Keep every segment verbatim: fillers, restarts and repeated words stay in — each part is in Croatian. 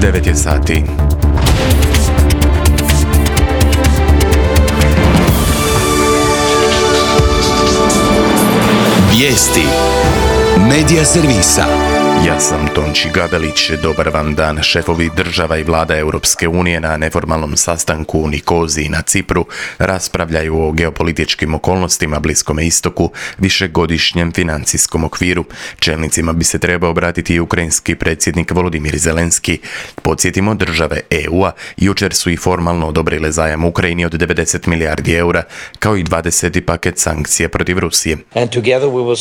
devet je sati. Vijesti Medija servisa. Ja sam Tonči Gabelić, dobar vam dan. Šefovi država i vlada Europske unije na neformalnom sastanku u Nikoziji na Cipru raspravljaju o geopolitičkim okolnostima Bliskome istoku, višegodišnjem financijskom okviru. Čelnicima bi se trebao obratiti i ukrajinski predsjednik Volodimir Zelenski. Podsjetimo, države E U-a jučer su i formalno odobrile zajam Ukrajini od devedeset milijardi eura, kao i dvadeseti paket sankcija protiv Rusije.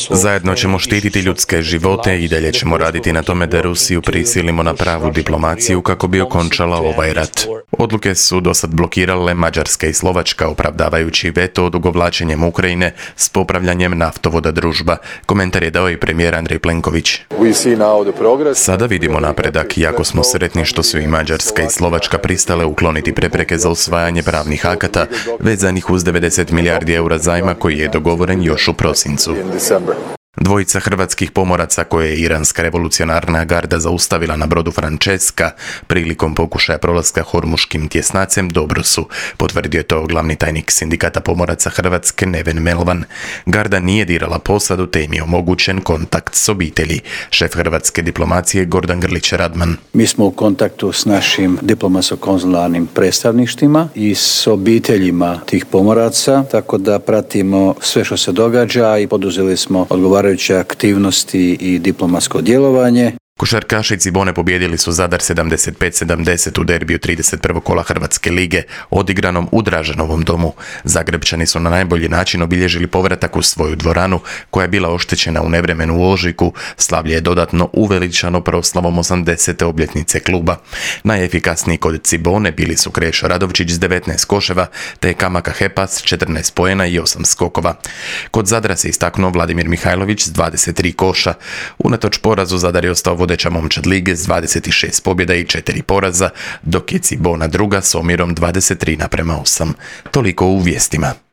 Zajedno ćemo štititi ljudske živote i dalje ćemo raditi na tome da Rusiju prisilimo na pravu diplomaciju kako bi okončala ovaj rat. Odluke su dosad blokirale Mađarska i Slovačka, opravdavajući veto odugovlačenjem Ukrajine s popravljanjem naftovoda Družba. Komentar je dao i premijer Andrej Plenković. Sada vidimo napredak, jako smo sretni što su i Mađarska i Slovačka pristale ukloniti prepreke za usvajanje pravnih akata vezanih uz devedeset milijardi eura zajma koji je dogovoren još u prosincu. Dvojica hrvatskih pomoraca koje je iranska revolucionarna garda zaustavila na brodu Francesca prilikom pokušaja prolaska Hormuškim tjesnacem dobro su, potvrdio je to glavni tajnik sindikata pomoraca Hrvatske Neven Melvan. Garda nije dirala posadu te im je omogućen kontakt s obitelji. Šef hrvatske diplomacije Gordan Grlić Radman. Mi smo u kontaktu s našim diplomatsko-konzularnim predstavništvima i s obiteljima tih pomoraca, tako da pratimo sve što se događa i poduzeli smo odgovarajuće aktivnosti i diplomatsko djelovanje. Košarkaši Cibone pobijedili su Zadar sedamdeset pet sedamdeset u derbiju trideset prvog kola Hrvatske lige, odigranom u Draženovom domu. Zagrebčani su na najbolji način obilježili povratak u svoju dvoranu, koja je bila oštećena u nevremenu u ožujku. Slavlje je dodatno uveličano proslavom osamdesete obljetnice kluba. Najefikasniji kod Cibone bili su Krešo Radovčić s devetnaest koševa, te Kamaka Hepa s četrnaest poena i osam skokova. Kod Zadra se istaknuo Vladimir Mihajlović s dvadeset tri koša. Unatoč porazu Zadar je ostao vodeća momčad lige s dvadeset šest pobjeda i četiri poraza, dok je Cibona druga s omjerom dvadeset tri naprema osam. Toliko u vijestima.